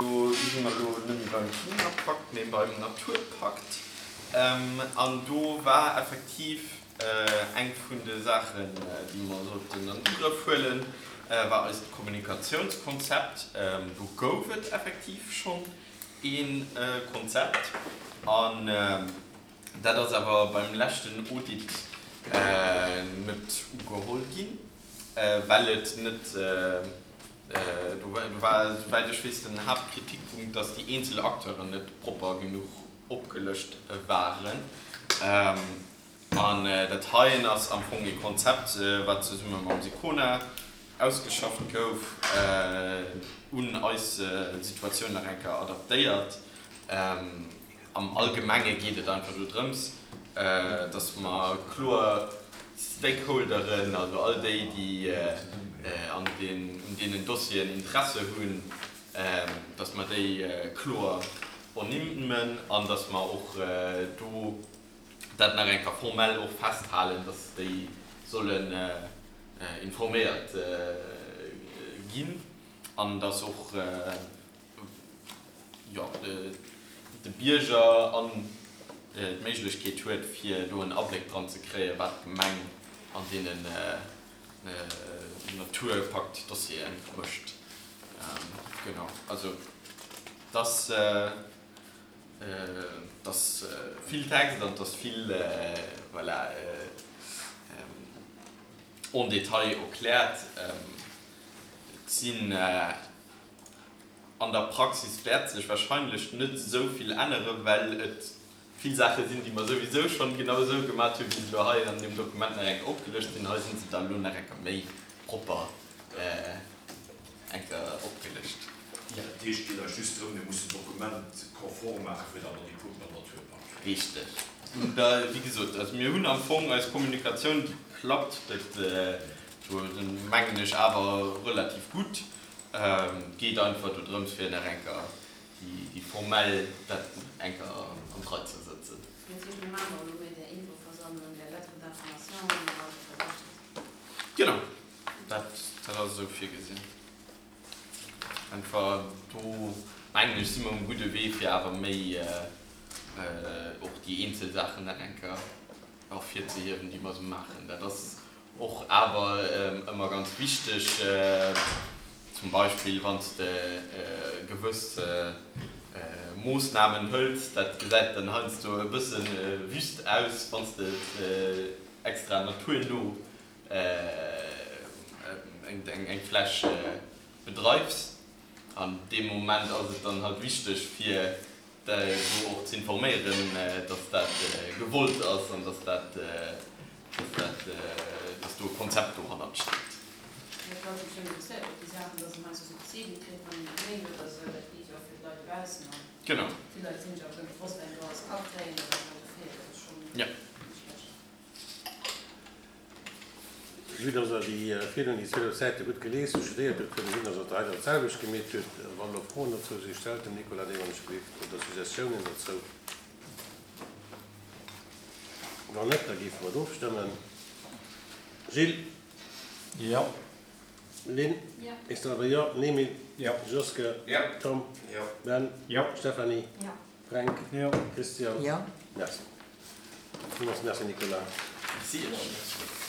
Do si mer elo net méi beim Klimapakt, mee beim Naturpakt. An do war effektiv eng vun de Saachen, déi mer sollten an Ugrëff huelen, war eist Kommunikatiounskonzept. Do gouf et effektiv schonn ee Konzept. An dat ass awer beim leschten Audit net ugeholl ginn, well et net, Do war, souwäit ech weess, den Haaptkritikpunkt, dass déi eenzel Acteuren net propper genuch opgelëscht waren. An dat heien ass am Fong ee Konzept, wat zesumme mam Sicona ausgeschafft gouf, un eis Situatioun nach eng Kéier adaptéiert. Am Allgemenge geet et einfach do drëms, dass mer kloer Stakeholderen, also all déi, déi an un deenen Dossieren Interesse hunn, dass mer déi kloer ernimmen an dass mer och do dat nach eng Kéier formell och festhalen, dass déi sollen informéiert ginn an dass och, jo, de Bierger an d'Méiglechkeet huet, fir do en Abléck dran ze kréien, wat d'Gemeng an deenen Naturpaktdossiere mécht. Genau, also et ass, et ass vill Text an et ass vill, voilà, en détail erkläert. Et sinn. An der Praxis wäert sech wahrscheinlech net esou vill änneren, well et vill Saache sinn, déi mer souwisou schonn genau esou gemat hunn, wéi se elo hei an deem Dokument nach eng Kéier opgelëscht sinn. Hei si se da elo nach eng Kéier méi propper eng Kéier opgelëscht. Jo, dat heescht, et geet eis just drëm, mir mussen d'Dokument konform maache fir datt mer déi Punkten am Naturpakt kréien. Richteg. Da, wéi gesot, also mir hunn am Fong eis Kommunikatioun, déi klappt, dat do mengen ech awer relativ gutt. Et geet einfach do drëms fir nach eng Kéier déi formell dat eng Kéier an d'Rei ze sëtzen. Dat heescht, mir maachen och elo méi där Infoversammlung, där Lettre d'information an esou weider, richtig? Genau, dat dat ass esou virgesinn. Einfach do mengen ech si mer um gudde Wee fir awer méi och déi eenzel Saachen nach eng Kéier ervirzehiewen, déi mer esou maachen. Dat ass Och awer ëmmer ganz wichteg, zum Beispill wann s de gewëss Moossnamen hëls, dat gesäit dann heiansdo e bësse wüst aus, wann s de et extra naturno eng Fläch bedreifs. An deem Moment ass et dann halt wichteg fir do och ze informéieren, dass dat gewollt ass an dass dat, dass dat, dass do e Konzept dohannert steet. Jo, d'Leit si schonn interesséiert op déi Saachen, dass een heiansdo Subsiden kritt, wann een e Méi huet oder esou. Dat geet jo och fir d'Leit dobaussen an Genau. vill Leit sinn sech och guer net bewosst, wat een do alles ka kréien oder wat do feelt. Dat ass schonn Ja. net schlecht. Vue dass Der déi virdrun déi 12 Säite gutt gelies hutt, studéiert hutt, kënnt et sinn, dass Der d'Rei dat selwecht gemeet hutt. Wann elo Froen dozou sinn, stellt dem Nicolas déi wann ech gelift oder Suggestiounen dozou. Wann net, da géife mer et ofstëmmen. Gilles? Jo. Lynn? Jo. Estelle? Jo. Emile? Jo. Joske? Jo. Tom? Jo. Ben? Jo. Stéphanie? Jo. Fränk? Jo. Christian? Jo. Merci. Villmools merci, Nicolas. Merci iech.